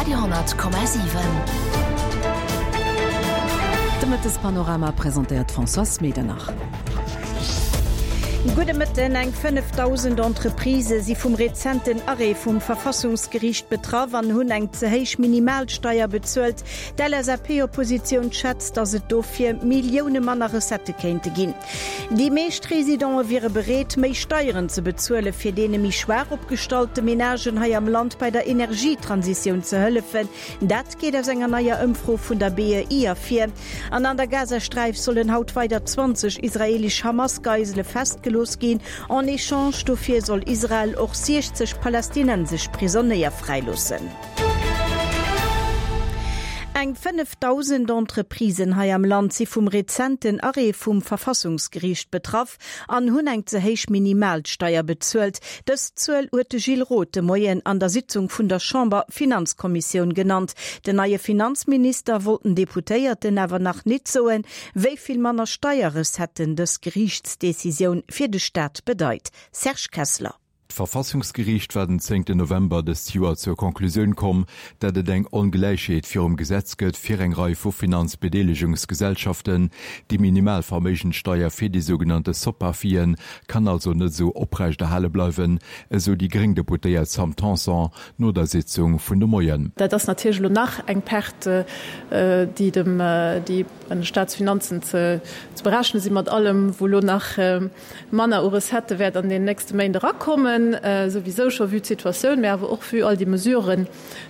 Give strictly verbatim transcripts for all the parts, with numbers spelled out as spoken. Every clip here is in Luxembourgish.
Radio honnert Komma siwen. De Mëttespanorama presentéiert d'Françoise Medernach. Gudde Mëtten, Eng fënnefdausend Entreprisë si vum rezenten Arrêt vum Verfassungsgeriicht betraff an hunn eng ze héich Minimalsteier bezuelt. D'LSAP-Oppositioun schätzt, datt et dofir Millioune manner Recettë kéinte ginn. Déi meescht Residente wiere bereet, méi Steieren ze bezuelen, fir deene méi schwaach opgestallte Menagen hei am Land bei der Energietransitioun ze hëllefen. Dat geet aus enger neier Ëmfro vun der B E I ervir. An an der Gazasträif sollen haut weider zwanzeg israeelesch Hamas-Geisele festgelooss ginn. En Echange dofir soll Israel och siechzeg palästinensesch Prisonéier fräiloossen. Eng fënnefdausend Entreprisen hei am Land si vum rezenten Arrêt vum Verfassungsgeriicht betraff an hunn eng ze héich Minimalsteier bezuelt. Dës Zuel huet de Gilles Roth de Moien an der Sitzung vun der Chamber-Finanzkommissioun genannt. Den neie Finanzminister wollt den Deputéierten awer nach nit soen, wéi vill manner Steierrecetten dës Geriichtsdecisioun fir de Staat bedeit. Serge Kessler. D'Verfassungsgeriicht war den zéngten November dëst Joer zur Conclusioun komm, dat et eng Ongläichheet virum Gesetz gëtt fir eng Rei vu Finanzbedeelegungsgesellschaften. Déi Minimalverméigenssteier fir déi sougenannte Soparfien kann also net esou oprechterhale bleiwen, esou déi gréng Deputéiert Sam Tanson no der Sitzung vun de Moien. Dat ass natierlech elo nach eng Perte, déi dem, déi an de Staatsfinanzen ze berechne sinn, mat allem, wou elo nach manner u Recettë wäert an den nächste Méint erakommen, souwisou scho vue d'Situatioun, mä awer och vue all déi Mesuren,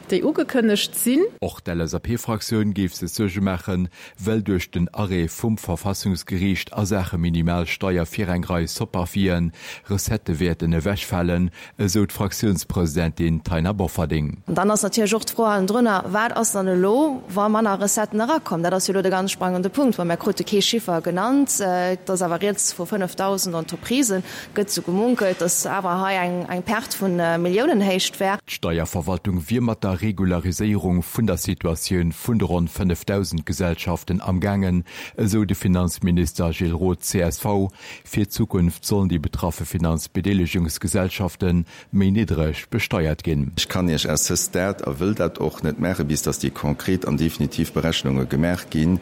déi ugekënnegt sinn. Och d'L S A P-Fraktioun géif sech Suerge maachen, well duerch den Arrêt vum Verfassungsgeriicht a Saache Minimalsteier fir eng Rei Soparfien Recettë wäerten ewechfalen, esou d'Fraktiounspresidentin Taina Bofferding. An dann ass natierlech och d'Fro hannendrunner, Wat ass dann elo, wa manner Recetten erakommen? Dat ass jo elo de ganz sprangende Punkt, well mir krute kee Chiffer genannt. Et ass awer rieds vu fënnefdausend Entreprisen. Et gëtt esou gemunkelt, datt awer hei eng Perte vu Milliounenhéicht wär. D'Steierverwaltung wier mat der Regulariséierung vun der Situatioun vun de ronn fënnefdausend Gesellschaften amgaangen, esou de Finanzminister Gilles Roth, C S V. Fir d'Zukunft sollen déi betraffe Finanzbedeelegungsgesellschafte méi niddreg besteiert ginn. Ech kann Iech à ce stade, a wëll dat och net maachen, bis dass déi konkret an definitiv Berechnunge gemaach ginn,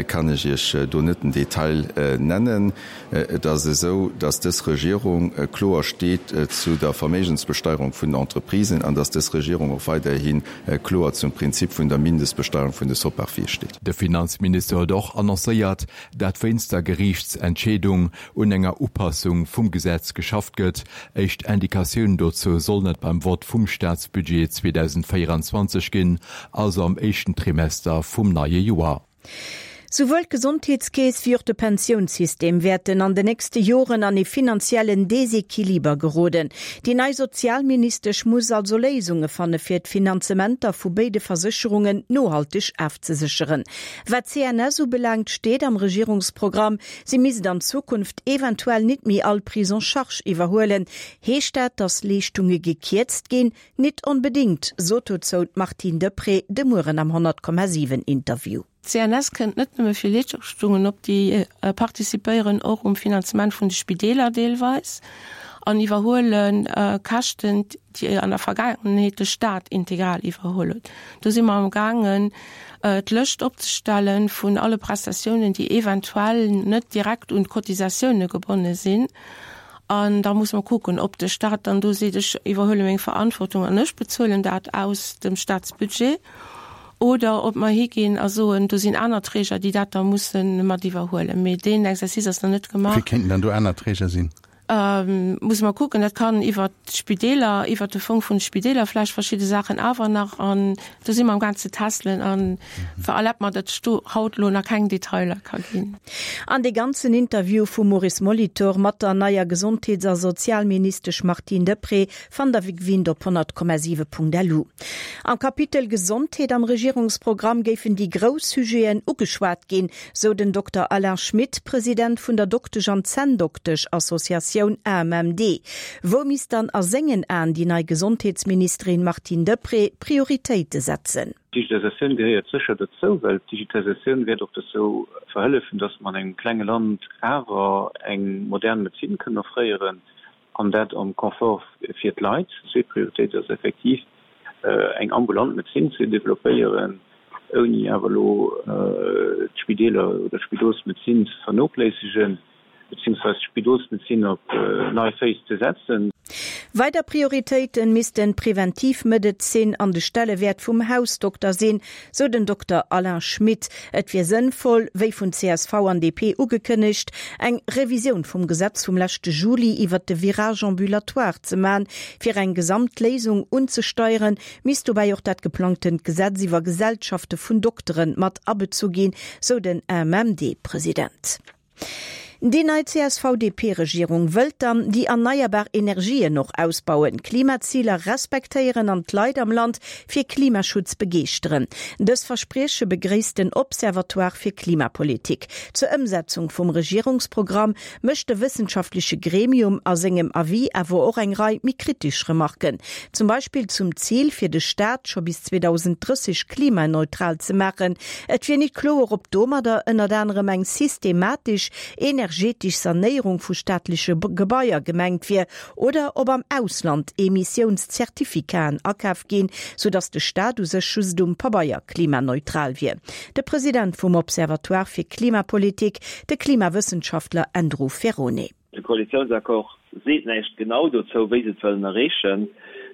kann ech Iech do net den Detail nennen. Et ass esou, dass dës Regierung kloer steet zu der Verméigensbesteierung vun den Entreprisen an dass dës Regierung och weiderhi kloer zum Prinzip vun der Mindestbesteierung vun de Soparfie steet. De Finanzminister huet och annoncéiert, dat wéinst der Geriichtsentscheedung un enger Upassung vum Gesetz geschafft gëtt. Éischt Indikatiounen dozou sollen et beim Vott vum Staatsbudget zweedausendvéierenzwanzeg ginn, also am éischten Trimester vum neie Joer. Souwuel d'Gesondheetskeess wéi och de Pensiounssystem wäerten an den nächste Joren an ee finanziellen Desequiliber geroden. Déi nei Sozialministesch muss also Léisunge fanne fir d'Finanzementer vu béide Versécherungen nohalteg ofzesécheren. Wat d'C N S ubelaangt steet am Regierungsprogramm, si misst an Zukunft eventuell nit méi all Prise en charge iwwerhuelen. Heescht dat, datt Leeschtunge gekierzt ginn? Nit onbedéngt, sot dozou d'Martine Deprez de Mueren am honnert Komma siwen Interview. D'C N S kënnt net nëmme fir Leeschtungen op, déi participéieren och um Finanzement vun de Spideeler deelweis an iwwerhuelen Käschten, déi an der Vergaangenheet de Staat integral iwwerholl huet. Do si mer am gaangen d'Lëscht opzestellen vun alle Prestatiounen, déi eventuell net direkt un d'Cotisatioune gebonne sinn. An da muss mer kucken, ob de Staat dann do seet, ech iwwerhuele meng Verantwortung an ech bezuelen dat aus dem Staatsbudget, oder ob mer higinn a soen, do sinn aner Träger, déi dat da musse mat iwwerhuelen. Mee deen Exercice ass nach net gemaach. Wie kéinten dann do aner Träger sinn? Muss mer kucken, dat kann iwwer d'Spideeler, iwwer de Fong vun de Spideeler vläicht verschidde Saachen awer nach. An do si mer am gaang ze testelen an erlaabt mer, datt ech do haut elo nach keng Detailer ka ginn. An dee ganzen Interview vum Maurice Molitor mat der neier Gesondheets a Sozialministesch Martine Deprez fannt der wéi gewinnt op honnert Komma siwe Punkt lu. Am Kapitel Gesondheet am Regierungsprogramm géifen déi grouss Sujeten ugeschwat ginn, sou den Dokter Alain Schmit, President vun der Doktesch an Zänndoktesch-Associatioun A M M D. Wou misst dann a sengen Aen déi nei Gesondheetsministerin Martine Deprez Prioritéite setzen? D'Digitalisatioun gehéiert sécher dozou, well d'Digitalisatioun wäert och dozou verhëllefen, dass mer an engem klenge Land awer eng modern Medezin kënnen offréieren, an dat am Confort fir d'Leit. Zweet Prioritéit ass effektiv eng ambulant Medezin ze developpéieren, ouni awer elo d'Spideeler oder d'Spidolsmedezin ze vernoochléissegen, beziehungsweise d'Spidolsmedezin op nei Féiss ze setzen. Weider Prioritéite missten d'Preventivmedezin an de Stellewäert vum Hausdokter sinn, sou den Dokter Alain Schmit. Et wier sënnvoll, wéi vun csv an D P ugekënnegt, eng Revisioun vum Gesetz vum leschte Juli iwwert de Virage ambulatoire ze man. Fir eng Gesamtléisung unzesteieren, misst dobäi och dat geplangtent Gesetz iwwer Gesellschafte vun Dokteren mat abezu ginn, sou den A M M D-President. Déi nei C S V D P-Regierung wëllt dann déi erneierbar Energien och ausbauen, Klimaziler respektéieren an d'Leit am Land fir Klimaschutz begeeschteren. Dës Versprieche begréisst den Observatoire fir Klimapolitik. Zur Ëmsetzung vum Regierungsprogramm mécht de wëssenschaftleche Gremium a sengem Avis awer och eng Rei méi kritesch Remarken. Zum Beispill zum Zil fir de Staat scho bis zweedausend drësseg klimaneutral ze maachen. Et wier net kloer, ob domadder ënnert anerem eng systematesch energetesch Sanéierung vu staatleche Gebaier gemengt wier oder ob am Ausland Emissiounszertifikaten akaf ginn, sodass de Staat u sech just um Pabeier klimaneutral wier. De President vum Observatoire fir Klimapolitik, de Klimawëssenschaftler Andrew Ferrone. De Koalitiounsaccord seet näischt genau dozou, wéi se et wëllen erreechen,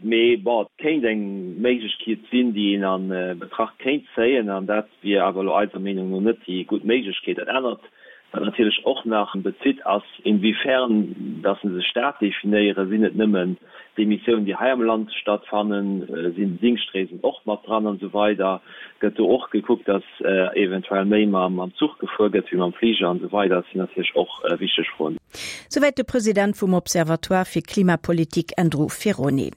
mee bon, et kéint eng Méiglechkeet sinn, déi een an Betracht kéint zéien, an dat wier awer elo eiser Meenung no net déi gutt Méiglechkeet. Dat anert, wat natierlech och nach bezitt, ass, inwiefern dass se sech dat definéieren. Sinn et nëmmen d'Emissiounen, déi hei am Land stattfannen, sinn Dingschtreesen och mat dran an esou weider, gëtt do och gekuckt, dass eventuell méi mam Zuch gefuer gëtt wéi mam Fliger an esou weider. Dat sinn natierlech och wichteg Froen. Souwäit de President vum Observatoire fir Klimapolitik Andrew Ferrone.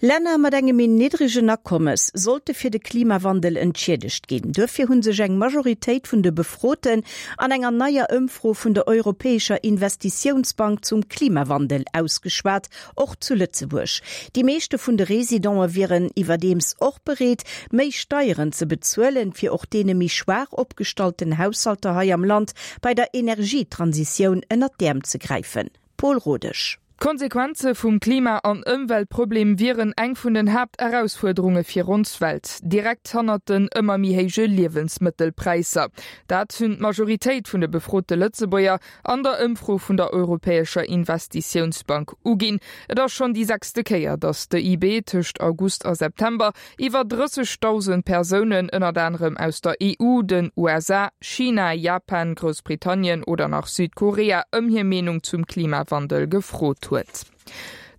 Länner mat engem méi niddregen Akommes sollte fir de Klimawandel entschiedegt ginn. Duerfir hu sech eng Majoritéit vun de Befroten an enger neier Ëmfro vun der Europäescher Investitiounsbank zum Klimawandel ausgeschwat, och zu Lëtzebuerg. Déi meeschte vun de Residente wieren iwwerdeems och bereet, méi Steieren ze bezuelen, fir och deene méi schwaach opgestallten Haushalter hei am Land bei der Energietransitioun ënnert d'Äerm ze gräifen. Paul Rodesch. D'Konsequenze vum Klima- an Ëmweltproblem wieren eng vun den Haapterausfuerderunge fir ons Welt, direkt hannert den ëmmer méi héije Liewensmëttelpräisser. Dat hunn d'Majoritéit vun de befrote Lëtzebuerger an der Ëmfro vun der Europäescher Investitiounsbank uginn. Et ass schonn déi sechste Kéier, datt d'E I B tëscht August a September iwwer drëssegdausend Persounen ënnert anerem aus der E U, den U S A, China, Japan, Groussbritannien oder nach Südkorea ëm hir Meenung zum Klimawandel gefrot huet.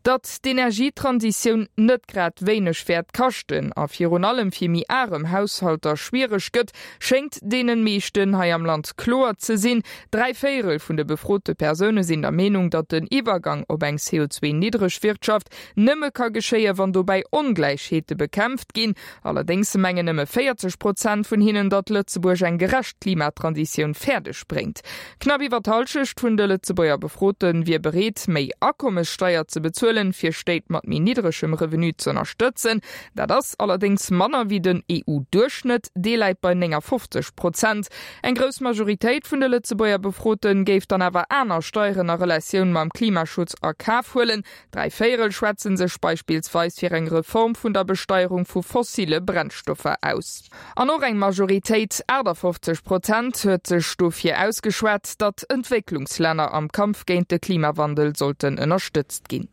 Datt d'Energietransitioun net grad wéineg wäert kaschten a virun allem fir méi arem Haushalter schwiereg gëtt, schéngt deenen meeschten hei am Land kloer ze sinn. Dräi Véierel vun de befrote Persoune sinn der Meenung, datt den Iwwergang op eng C O zwei niddreg Wirtschaft nëmme ka geschéie wann dobäi Ongläichheete bekämpft ginn. Allerdéngs mengen nëmme véierzeg Prozent vun hinnen, datt Lëtzebuerg eng gerecht Klimatransitioun fäerdeg bréngt. Knapp iwwer d'Hallschecht vun de Lëtzebuerger Befroten wier bereet, méi Akommessteier ze bezuelen, fir Stéit mat méi niddregem Revenu ze ënnerstëtzen. Dat ass allerdéngs manner wéi den E U-Duerchschnëtt, dee läit bei néngafofzeg Prozent. Eng grouss Majoritéit vun de Lëtzebuerger Befroten géif dann awer aner Steieren a Relatioun mam Klimaschutz a Kaf huelen. Dräi Véierel schwätzen sech beispillsweis fir eng Reform vun der Besteierung vu fossile Brennstoffer aus. An och eng Majoritéit, achtafofzeg Prozent, huet sech dofir ausgeschwat, datt Entwécklungslänner am Kampf géint de Klimawandel sollten ënnerstëtzt ginn.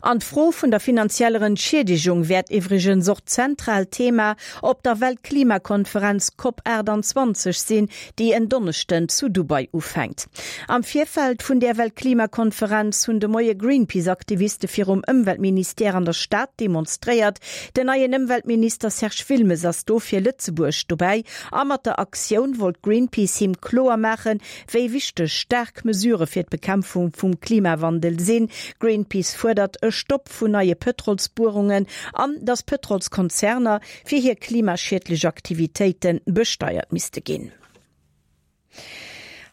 An d'Fro vun der finanzieller Entschiedegung wäert iwwregens och zentral Thema op der Weltklimakonferenz COP achtundzwanzeg sinn, déi en Donneschden zu Dubai ufänkt. Am Virfeld vun der Weltklimakonferenz hunn de Moie Greenpeace-Aktiviste virum Ëmweltministère an der Stad demonstréiert. Den neien Ëmweltminister Serge Wilmes ass do fir Lëtzebuerg dobäi. A mat der Aktioun wollt Greenpeace him kloer maachen, wéi wichteg staark Mesure fir d'Bekämpfung vum Klimawandel sinn. Greenpeace fuerdert e Stopp vun neie Pëtrolsbuerungen an dass Pëtrolskonzerner fir hir klimaschiedlech Aktivitéiten besteiert misste ginn.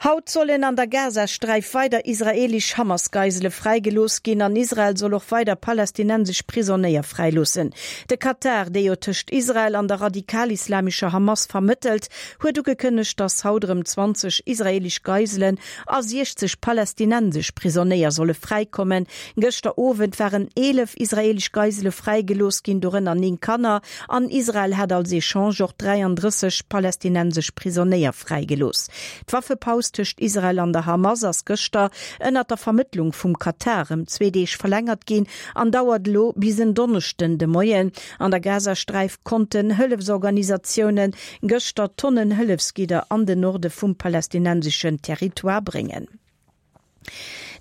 Haut sollen an der Gazasträif weider israeelesch Hamas-Geisele fräigelooss ginn an Israel soll och weider palästinensesch Prisonéier fräiloossen. De Katar, dee jo tëscht Israel an der radikal-islamescher Hamas vermëttelt, huet ugekënnegt, datt haut erëm zwanzeg israeelesch Geiselen a siechzeg palästinensesch Prisonéier solle fräikommen. Gëschter Owend waren eelef israeelesch Geisele fräigelooss ginn, dorënner néng Kanner, an Israel hat als Echange och dräiandrësseg palästinensesch Prisonéier fräigelooss. D'Waffepaus tëscht Israel an der Hamas ass gëschter ënnert der Vermëttlung vum Katar ëm zwee Deeg verlängert ginn an dauert elo bis en Donneschden de Moien. An der Gazasträif konnten Hëllefsorganisatioune gëschter Tonnen Hëllefsgidder an den Norde vum palästinenseschen Territoire bréngen.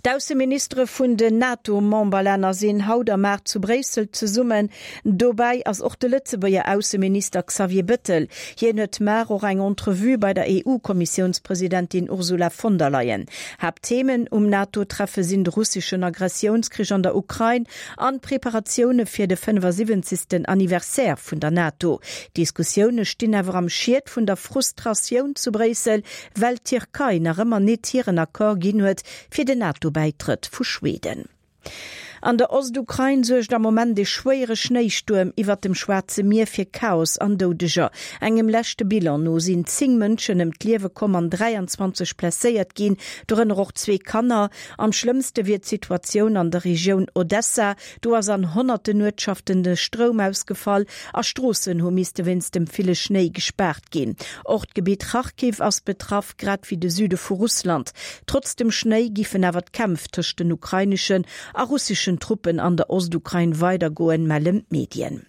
D'Ausseministere vun den NATO-Memberlänner sinn haut am Maart zu Bréissel zesummen. Dobäi ass och de Lëtzebuerger Ausseminister Xavier Bettel. Hien huet mar och eng Entrevue bei der EU-Kommissiounspresidentin Ursula von der Leyen. Haaptthemen um NATO-Treffe sinn de russeschen Aggressiounskrich an der Ukrain an d'Preparatioune fir de fënnefasiwwenzegsten Anniversaire vun der NATO. D'Diskussioune stinn awer am Schiet vun der Frustratioun zu Bréissel, well d'Tierkei nach ëmmer net hiren Accord ginn huet fir den NATO-Bäitrëtt vu Schweden. An der Ostukrain suergt am Moment e schwéiere Schnéistuerm iwwert dem Schwaarze Mier fir Chaos an Doudeger. Engem leschte Bilan no sinn zéng Mënschen ëm d'Liewe komm an dräianzwanzeg blesséiert ginn, dorënner och zwee Kanner. Am schlëmmste wier d'Situatioun an der Regioun Odessa. Do ass an honnerten Uertschaften de Stroum ausgefall a Stroossen hu misste wéinst dem ville Schnéi gespaart ginn. Och d'Gebitt Charkiw ass betraff, grad wéi de Süde vu Russland. Trotz dem Schnéi giffen awer d'Kämpf tëscht den ukraineschen a russeschen Truppen an der Ostukrain weidergoen, mellen d'Medien.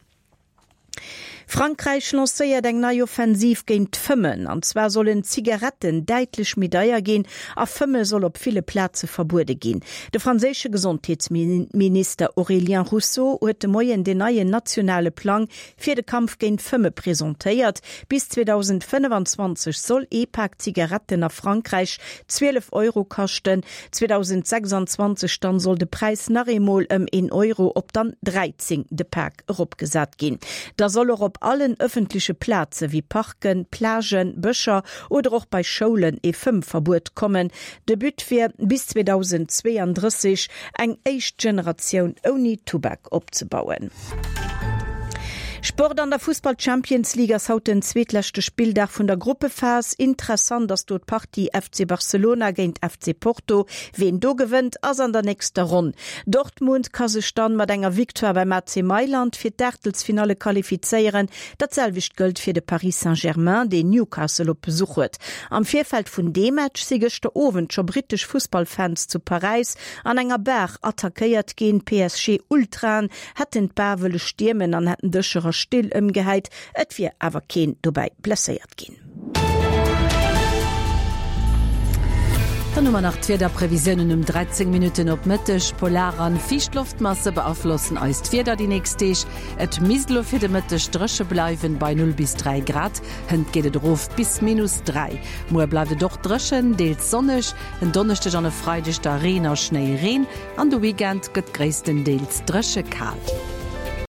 Frankräich lancéiert eng nei Offensiv géint d'Fëmmen. An zwar sollen d'Zigaretten däitlech méi deier ginn a Fëmme soll op ville Plaze verbuede ginn. De franséische Gesondheetsminister Aurélien Rousseau huet de Moien den neien nationale Plang fir de Kampf géint d'Fëmme presentéiert. Bis zweedausendfënnefanzwanzeg soll ee Pak Zigaretten a Frankräich zwielef Euro kaschten, zweedausendsechsanzwanzeg dann soll de Präis nach eemol ëm een Euro op dann dräizéng de Pak eropgesat ginn. Da soll och op allen ëffentleche Plaze wéi Parken, Plagen, Bëscher oder och bei Schoulen ee Fëmmverbuet kommen. De But wier, bis zweedausendzweeandrësseg eng éischt Generatioun ouni Tubak opzebauen. Sport An der Fussball-Champions League ass haut den zweetleschte Spilldag vun der Gruppephas. Interessant ass do d'Partie F C Barcelona géint F C Porto. Ween do gewënnt, ass an der nächster Ronn. Dortmund ka sech dann mat enger Victoire beim A C Mailand fir d'Aachtelsfinalle qualifizéieren. Dat selwecht gëllt fir de Paris Saint-Germain, deen Newcastle op Besuch huet. Am Virfeld vun deem Match si gëschter Owend scho brittesch Fussballfans zu Paräis an enger Bar attackéiert ginn. P S G-Ultraen hätten d'Bar wëlle stiermen an hätten Dëscher a Still ëmgehäit, et wier awer keen dobäi blesséiert ginn. Dann hu mer nach d'Wiederprevisiounen um dräizéng Minutten op Mëtteg. Polar an fiicht Loftmasse beaflossen eist Wieder déi nächst Deeg. Et misst elo fir de Mëtteg dréche bleiwen, bei null bis dräi Grad. Hënt geet et erof bis minus dräi. Muer bleift et och dréchen, deels sonneg. En Donneschdeg an e Freideg da Reen a Schnéireen an de Weekend gëtt gréisstendeels dréche kal.